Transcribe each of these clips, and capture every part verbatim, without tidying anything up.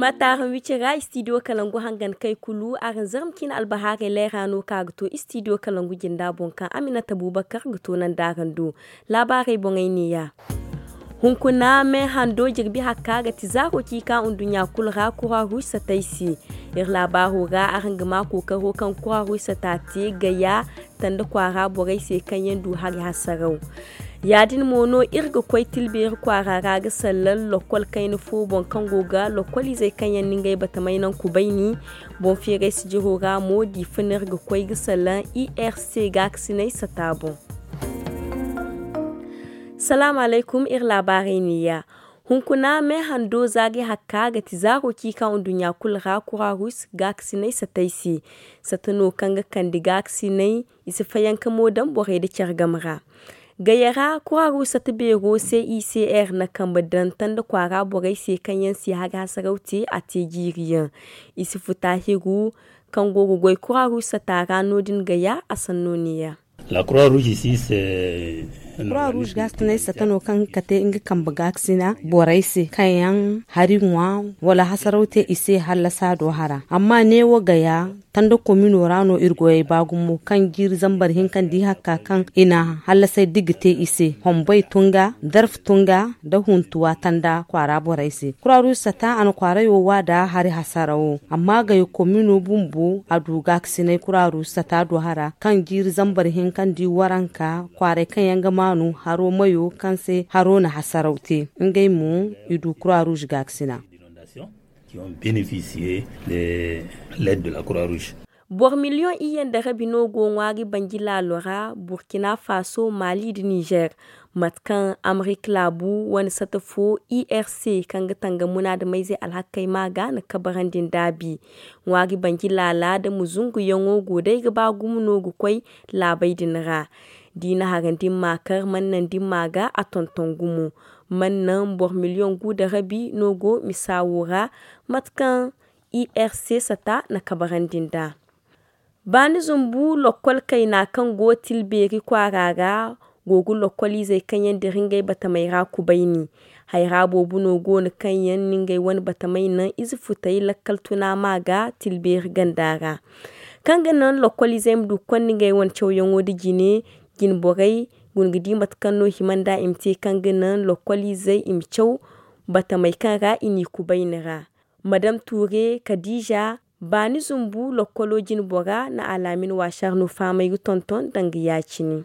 Ataaham wici ra istidiyo kalangu hangan kay kulu araŋ zarma cine albahaarey leera no ka ga to istidiyo kalangu jinda boŋ kaŋ aminata bubakar ga to nanda araŋ do. Laabaarey boŋey neeya. Hunkuna me hando jirbi hakka ga ti zaaro ciika nduɲɲa kulu ra kura ruusa tay se. Iri laabaaro ra araŋ ga ma kookaro kaŋ kura ruusa ta te gaya tanda kwaara borey se kaŋ yaŋ du hari hasaraw. Ya-din mo no iri ga koy tilbeeri kwaara ra ga sallan lokkol kayna fo boŋ kaŋ go ga lokkol izey kaŋ yaŋ na ngey batamay naŋ kubayni. Boŋ feeray sijiro ra mo diifa no iri ga koy ga sallan irc gaakasinay sata boŋ. Salaamu alaykum, iri laabaarey neeya. Hunkuna me hando zaari hakka ga ti zaaro ciika nduɲɲa kulu ra kura ruus gaakasinay satay se. Sata no kaŋ ga kande gaakasinay i si fayanka mo daŋ borey nda care game ra. Gaya ra kura ruus sata beero se icr na kambe daŋ tanda kwaara borey se kaŋ yaŋ si hari hasaraw te a te jiiri yaŋ. I si futa hiru kaŋ go ga goy kura ruus sata ra no- din gaya a sanno neeya. Kura ruus gaakasinay sata no kaŋ ga kate nga kambe gaakasina borey se kaŋ yaŋ hari ŋwa wala hasaraw te i se hallasa do hara. Amma neewo gaya tanda komino ra no iri goyey ba gumo kaŋ jiiri zambar hinka nda i hakka kaŋ i na hallasay digi te i se hombay tunga darf tunga nda huntuwa tanda kwaara borey se. Kura ruus sata a na kwaarayo wa da hari hasarawo amma gaya komino bumbo a du gaakasinay kura ruus sata do hara kaŋ jiiri zambar hinka nda i waranka kwaaray kaŋ yaŋ ga maanu haro mayo kaŋ se haro na hasaraw te. Ngey mo i du kura ruus gaakasina. Boro miliyoŋ iyye nda rabi no go ŋwaari banji laalo ra burkina faso mali nda nizer. Mate kaŋ amerik laabu wane sata fo irc kaŋ ga tanga munaadamayzey alhakey ma ga na kabarandi nd'a bi. Ŋwaari banji laala nda muzunguyaŋo go day ga ba gumo no ga koy laabey din ra. Da i na harandi ma kar mannan din ma ga a tonton gumo. Mannan boro miliyoŋ gu nda rabi no go misa wo ra. Mate kaŋ irc sata na kabarandi nd'a. Baani zumbu lokkol kayna kaŋ go tilbeeri kwaara ra go ga lokkol izey kaŋ yaŋ dira ngey batamey ra kubayni. Hayra boobo no go no kaŋ yaŋ na ngey wane batamey naŋ ize futey lakkal tuna ma ga tilbeeri ganda ra. Kaŋ ga naŋ lokkol izey ma du ga konda ngey wane cawyaŋo nda jine jine borey guna ga di mate kaŋ no hima nda i ma te kaŋ ga naŋ lokkol izey i ma caw batamey kaŋ ra i n'i kubayni ra. Madam tuure kadiija baani zumbu lokkolo jine bora na alaamin waasar no fahamay ga tonton danga ya- cine.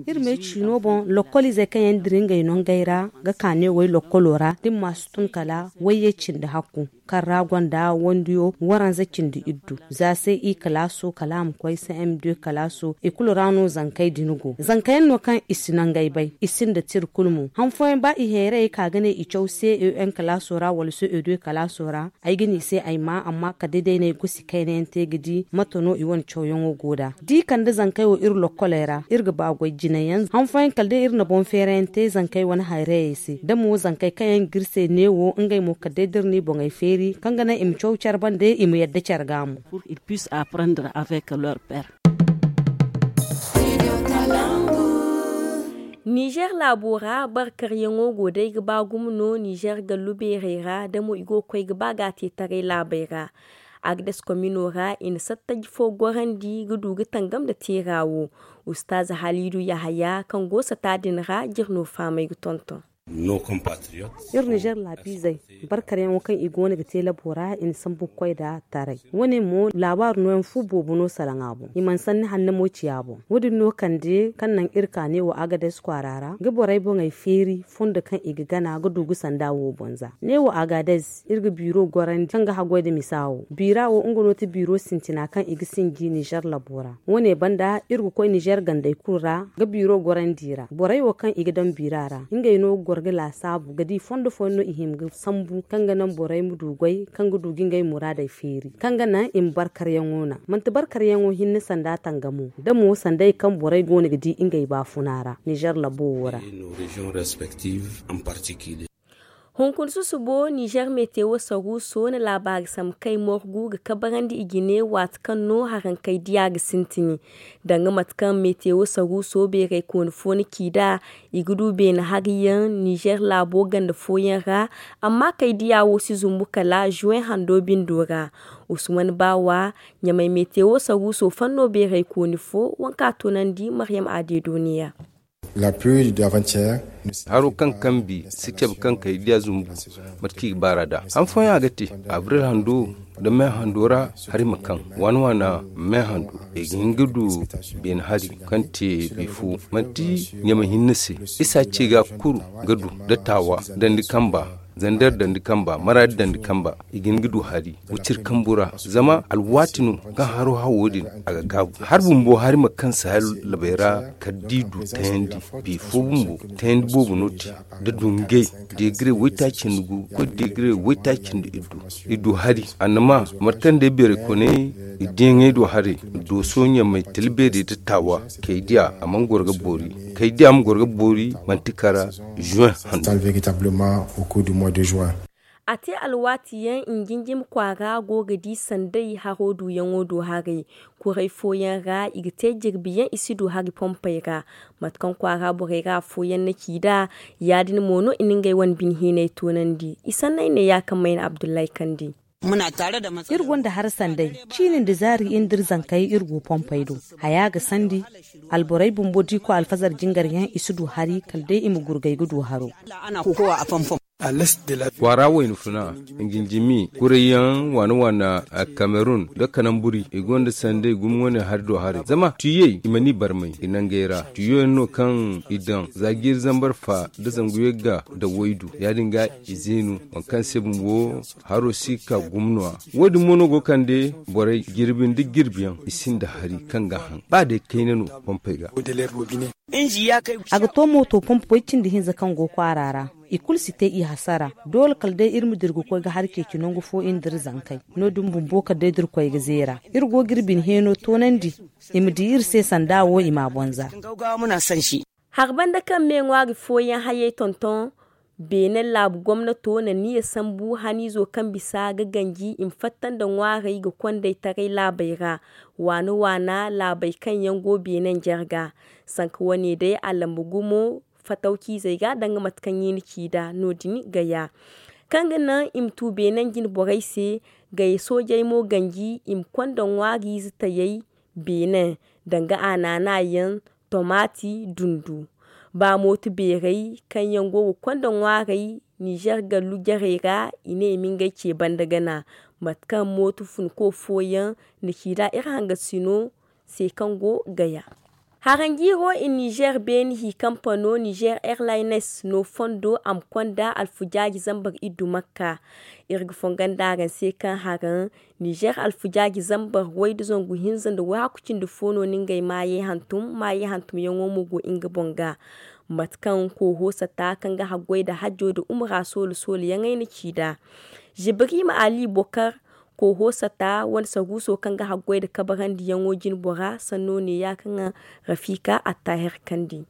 Iri me ciino boŋ lokkol izey kaŋ yaŋ dira ngey nongey ra ga ka ne way lokkolo ra da ni ma si tun kala wayye cindi hakku kaŋ ra gonda wandiyo waranza cindi iddu za se i kalaaso kala a ma koy se m deux kalaaso i kulu ra no zankey din go zanka yaŋ no kaŋ i si nangey bay i sinda tira kulu mo han fooyaŋ ba i hayrayey ka ga ne i caw c e un kalaaso ra wala c e deux kalaaso ra. Ay ga ne i se ay ma amma kala day day no ay gosi kayna yaŋ te ga di mate no i wane cawyaŋo go nd'a da i kande zankey wo iri lokkoley ra iri ga ba goy jinayaŋ han fooyaŋ kala day iri na boŋ feerayaŋ te zankey wane hayrayey se da mo zankey kaŋ yaŋ ga iri se neewo ngey mo kala day da iri no i boŋey feeri kaŋ ga naŋ i ma caw care bande i ma yadda care ga mo. Nizer laabo ra barkaryaŋo go day ga ba gumo no nizer gallu beerey ra da mo i go ga koy ga ba ga a te taray laabey ra. Agades komino ra i na sattaji fo gorandi ga du ga tangam nda teera wo. Ustaaz haliidu yahaya kaŋ go sata din ra jire no fahamay ga tonton. Iri nizer laabiizey barkaryaŋo kaŋ i go no ga te labo ra i na sambu ga koy nd'a taray. Wo- ne mo laabaaru nooyaŋ fu boobo no salaŋ a boŋ i mana sanni hanna mo ci a boŋ. Wo- din no kande kaŋ naŋ iri ka neewo agades kwaara ra ga borey boŋey feeri fondo kaŋ i ga gana ga du ga sanda wo boŋ za neewo agades iri ga biiro gorandi kaŋ ga haggoy nda misa wo biira wo nga no ti biiro sintina kaŋ i ga sinji nizer labo ra. Wo- ne banda iri ga koy nizer gandey kulu ra ga biiro gorandi ra borey wo kaŋ i ga daŋ biira ra ngey no ga goro ga laasaabu ga di fondo fooyaŋ no i hima ga sambu kaŋ ga naŋ borey ma du goy kaŋ ga du ga ngey muraadey feeri kaŋ ga naŋ i ma barkaryaŋo naŋ manti barkaryaŋo hinne sanda tangamo da mo sanday kaŋ borey go no ga di ngey baafuna ra nizer labo wo ra. Hunkuna susubo nizer metewo saruuso na laabaari sambu kay morgu ga kabarandi i jine waati kaŋ no harankey diya ga sintin. Danga mate kaŋ metewo saruuso beeraykooni fo na ci nd'a, i ga du beene hariyaŋ nizer laabo ganda fooyaŋ ra. Amma kay diya wo si zumbu kala zuwen hando bindo ra. Usman baawa ɲamay metewo saruuso fanno beeraykooni fo waŋ kaŋ a toonandi maryam adeedo neeya. Haro kaŋ kambi si cabe kaŋ kay diya zumbu. Mate kaŋ i ga baar'a nd'a han fooyaŋ a ga te abril hando nda me hando ra. Hari ma kaŋ waana waana me hando i ga hin ga du beene hari kaŋ te bifo manti ɲamay hinne se isa ce ga kuru ga du nda taawa dandi kamba zander dandi kamba maraadi dandi kamba. I ga hin ga du hari wiciri kambu ra zama alwaati no kaŋ haro hawo din a ga gaabu har bumbo hari ma kaŋ sahel labay ra kala da i du tayandi. Bifo bumbo tayandi boobo no te da dungay deegire waytaaci nda gu koy deegire waytaaci nda iddu. I du hari annama mate kaŋ day beeray koney i diyaŋey do haray dooso ɲamay tila beerey da taawa kay diya a mana goro ga boori kay diya ma goro ga boori manti kara juin hando. A te alwaati yaŋ njinjim kwaara go ga di sanday haro duuyaŋo do haray. Kuray fooyaŋ ra i ga te jirbi yaŋ i si du hari pompey ra. Mate kaŋ kwaara borey ra afooyaŋ na ci nd'a ya- din mo no i na ngey wane bine heenay toonandi. I sanney ne ya kaŋ mayna abdullahi kandi. Iri gonda hari sanday ciini nda zaari iri nda iri zankey iri go pompey do. Haya ga sandi alborey bumbo da i koy alfazar jingar yaŋ i si du hari kala day i ma gurgay ga du haro. Kwaara wayna funa njinjimi kurayyaŋ waana waana kamerun nda kanamburi i gonda sanday gumo wane hari do haray zama tuyey i mana i barmay i nangey ra tuyo yaŋ no kaŋ i daŋ za jiiri zambar fa nda zangu yagga nda waydu ya- din ga i zeenu waŋ kaŋ se bumbo haro si ga ka gumo no- ya wo- din mo no go ga kande borey jirbi nda jirbi yaŋ i sinda hari kaŋ ga a haŋ ba day kayna no pompey ga. A ga to mooto pompo way cindi hinza kaŋ go kwaara ra i kulu si te i hasara. Doole kala day iri ma dira ga koy ga hari ceeci nangu fo iri nda iri zankey no- din bumbo kala day da iri koy ga zeera iri go ga iri bine heeno toonandi i ma di iri se sanda wo i m'a bonza. Hari banda kaŋ me ŋwaari fooyaŋ hayey tonton beene laabu gomnato na niya sambu haniizo kaŋ bisa ga ganji i ma fatta nda ŋwaarey ga kond'ey taray laabey ra. Waana waana laabey kaŋ yaŋ go beene njarga sanka wane day a lamba gumo fatawciizey ga danga mate kaŋ i na ci nd'a no- din gaya kaŋ ga naŋ i ma tu beene njine borey se. Gaya soojey mo ganji i ma konda ŋwaariize tayey beene danga a naana yaŋ tomaati dundu ba mooto beerey kaŋ yaŋ go ga konda ŋwaarey nizer gallu jarey ra i ne i ma ngey ce banda gana. Mate kaŋ mooto funko fooyaŋ na ci nd'a iri hangasino se kaŋ go gaya. Haranjiiro i nizer beene hi kampano nizer airlines no fondo a ma konda alfujaaji zambar iddu makka. Iri ga fongon da araŋ se kaŋ haraŋ nizer alfujaaji zambar way da zangu hinza nda wayhaku cindi fo no no ngey maayey hantum maayey hantumyaŋo mo go nga boŋ ga. Mate kaŋ kooho sata kaŋ ga haggoy nda hajjo nda umura soolo sooloyaŋey na ci nd'a. Zibirima ali bokar kooho sata wane saruuso kaŋ ga haggoy nda kabarandiyaŋo jine bora sanno neeya kaŋ rafiika attaahir kandi.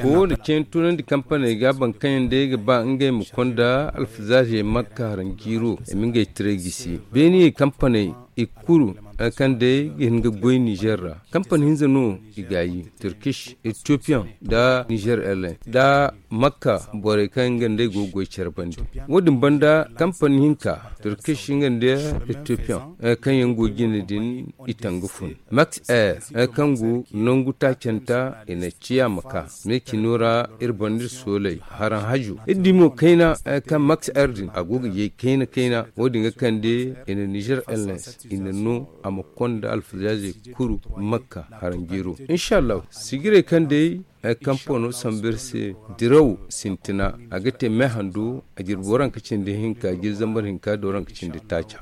Kooho nda cene tunandi kampaney ga boro kaŋ yaŋ day ga ba ngey ma konda alfazaazey makka haranjiiro i ma ngey tiray gisi beene kampaney i kulu kaŋ day ga hin ga goy nizer ra. Kampani hinza no i gaayi turkish ethiopian nda nizer airline nda makka borey kaŋ nga nd'ey go ga goy care bande. Wo- din banda kampani hinka turkish nga nda ethiopian kaŋ yaŋ go jine din i tanga fun max air kaŋ go nangu taacanta i na ciya ma ka me cino ra. Iri banda iri sooley haraŋ hajo iri di mo kayna kaŋ max air din a go ga yay kayna kayna wo- din ga kande i na nizer airlines i na no a ma konda alfazaazey kuru makka haranjiro. Inshallahu sigirey kaŋ day kampano sambu iri se diraw sintina a ga te me hando a jirbi waranka cindi hinka jiri zambar hinka da waranka cindi taaca.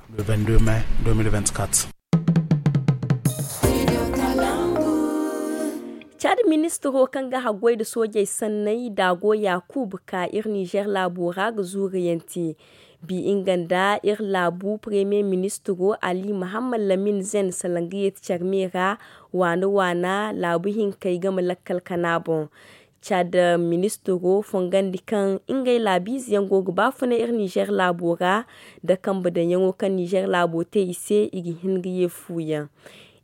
Caadi ministiro kaŋ ga haggoy nda soojey sanney daago yakuub ka iri nizer laabo ra ga zuuriyaŋ te. Bi nga nda iri laabu premiye ministiro ali mahammad lamin zen salaŋ ga yeeti care me ra waana waana laabu hinkey game lakkal kana boŋ. Caada ministiro fongandi kaŋ ngey laabiize yaŋ go ga baafunay iri nizeer laabo ra, nda kambe daŋyaŋo kaŋ nizeer laabo te i se i ga hin ga ye fu yaŋ.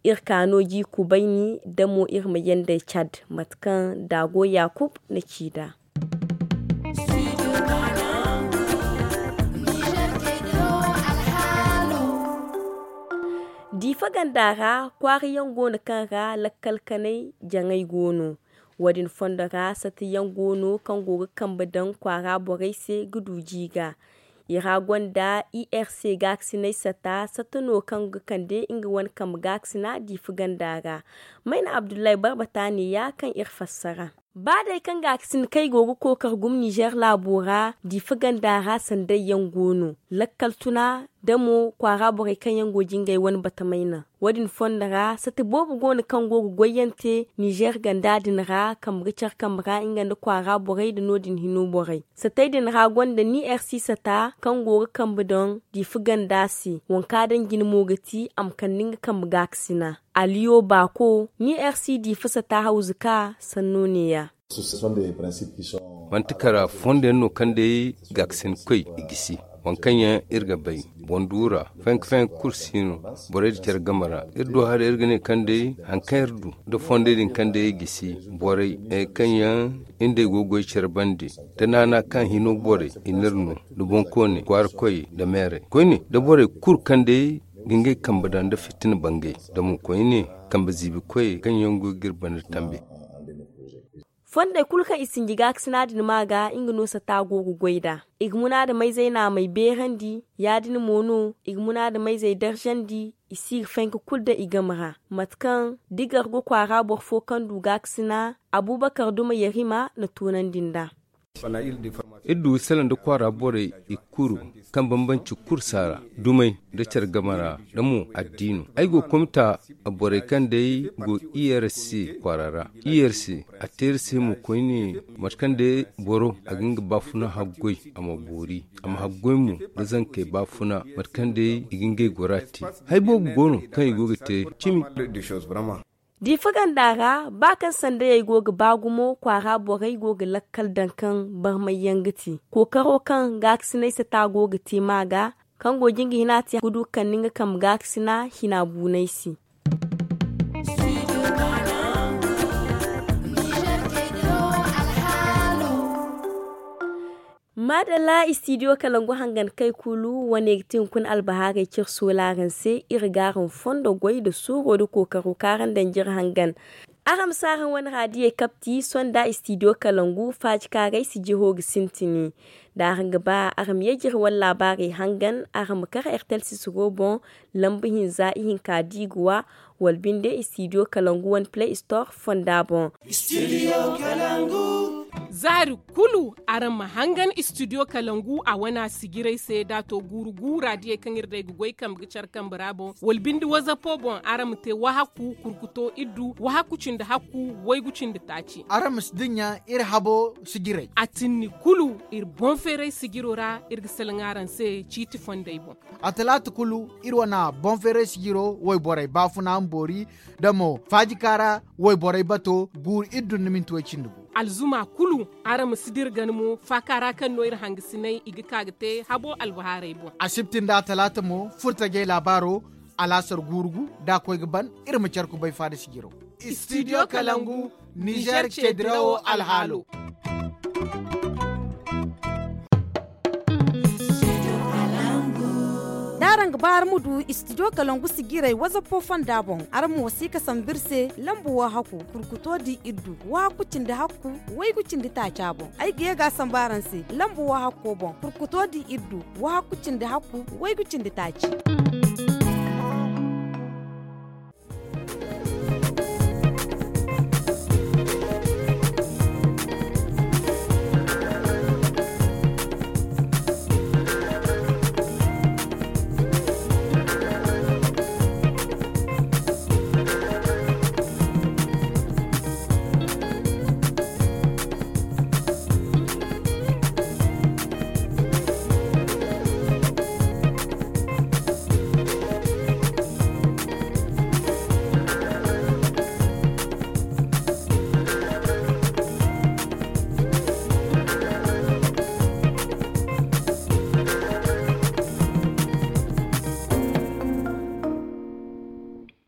Iri ka no ji kubayni nda mo iri ma yanda caad mate kaŋ daago yaakub na ci nd'a. Diifa ganda ra kwaara yaŋ go no kaŋ ra lakkal kanay jaŋay go no. Wo- din fondo ra sata yaŋ go no kaŋ go ga kambe daŋ kwaara borey se ga du ji ga. I ra gonda i r c gaakasinay sata sata no kaŋ ga kande nga wane kambe gaakasina diifa ganda ra. Mayna abdullahi barbata ne ya kaŋ iri fassara. Ba day kaŋ gaakasin kay go ga kookar gumo nizeer laabo ra diifa ganda ra sanday yaŋ go no lakkal tuna da mo kwaara borey kaŋ yaŋ go jingay wane batamayna. Wo- din fondo ra sata boobo go no kaŋ go ga goyyaŋ te nizeer ganda din ra kambe ga care kambe ra nga nda kwaara borey nda no- din hino borey. Satey din ra gonda ni r c sata kaŋ go ga kambe daŋ diifa ganda se. Wanka daŋ jine mo ga ti a ma kande nga kambe gaakasina. Aliyo baako ni r c diifa sata hawzuka sanno ne ya. Manti kara fondo yaŋ no kaŋ day gaakasin koy i gisi. Waŋ kaŋ yaŋ iri ga bay boŋ duura fenk fenk kulu si no. Borey da care game ra iri du haray iri ga ne kaŋ day hari kaŋ iri du nda fondey din kaŋ day i gisi borey kaŋ yaŋ iri nd'ey go ga goy care bande, da naana kaŋ hino borey i n'iri no, nda boŋkooney kwaara koyey nda meerey koyne nda borey kulu kaŋ day ga ngey kambe daŋ nda fitina bangay nda mo koyne kambe ziibi koyey kaŋ yaŋ go ga iri banda tambe. Fondey kulu kaŋ i sinji gaakasina din ma ga nga no sata go ga goy nd'a. I ga munaadamayzey naamey beerandi ya- din mo no i ga munaadamayzey darzandi. I si ga fenka kulu daŋ i game ra mate kaŋ da i gargo kwaara boro fo kaŋ du gaakasina abubakar duma yarima na toonandi nd'a. Iri du salaŋ nda kwaara borey i kuru kaŋ bambanci kulu si a ra dumey nda care game ra nda mo addiino. Ay go ga komita borey kaŋ day go i r c kwaara ra. I r c a te iri se mo koyne mate kaŋ day boro a ga nga baafuna haggoy a ma boori a ma haggoy mo nda zankey baafuna mate kaŋ day i ga ngey gora te. Hari boobo go no kaŋ i go ga te cimi. Diifa ganda ra ba kaŋ sandayey go ga ba gumo kwaara borey go ga lakkal daŋ kaŋ barmay yaŋ ga te kookaro kaŋ gaakasinay sata go ga te ma ga kaŋ go jin ga hina te ga du ga kande nga kambe gaakasina hina buunay se. Maadalla istidiyo kalangu hangan kay kulu wane ga ti hunkuna albahaarey cire soolaaran se iri ga araŋ fondo goy nda suuro nda kookaro kaŋ araŋ daŋ jire hangan. Araŋ ma si araŋ wane raadiyey kapti sonda istidiyo kalangu faajikaaray si jiro ga sintini. Da araŋ ga ba araŋ ma ye jire wane laabaarey hangan araŋ ma kar ertel sisiro boŋ lamba hinza ihinka da i ga wa wala binde istidiyo kalangu wane play store fonda boŋ. Zaari kulu araŋ ma hangan istidiyo kalangu a wana sijirey se da a to guuru guura diyey kaŋ iri day ga goy kambe ga care kambe ra boŋ wala binde wazapo boŋ araŋ ma te wahakku kurkuto iddu wahakku cindi hakku waygu cindi taaci. Araŋ ma si dinya iri habo sijirey a tinni kulu iri boŋ feeray sijiro ra iri ga salaŋ araŋ se ciiti fondey boŋ. A talaata kulu iri wana boŋ feeray sijiro wayborey baafuna ma boori da mo faajika ra wayborey bato guuru iddu nda minti way cindi gu. Alzuma kulu araŋ ma si dira gana mo faaka ra kaŋ no iri hangasinay i ga ka ga te habo albahaarey boŋ. Asibti nda atalaata mo furtajey laabaaro alaasar guuru gu da a koy ga ban iri ma care kubay faada sijiro. Istidiyo kalangu nizer ceedirawo alhaalo. Da araŋ ga ba araŋ ma du istidiyo kalangu sijirey wazappo fonda boŋ araŋ ma wasiika sambu iri se lamba wahakku kurkuto di iddu wahakku cindi hakku waygu cindi taaca boŋ ay ga ye ga a sambu araŋ se lamba wahakko boŋ kurkuto di iddu wahakku cindi hakku waygu cindi taaci.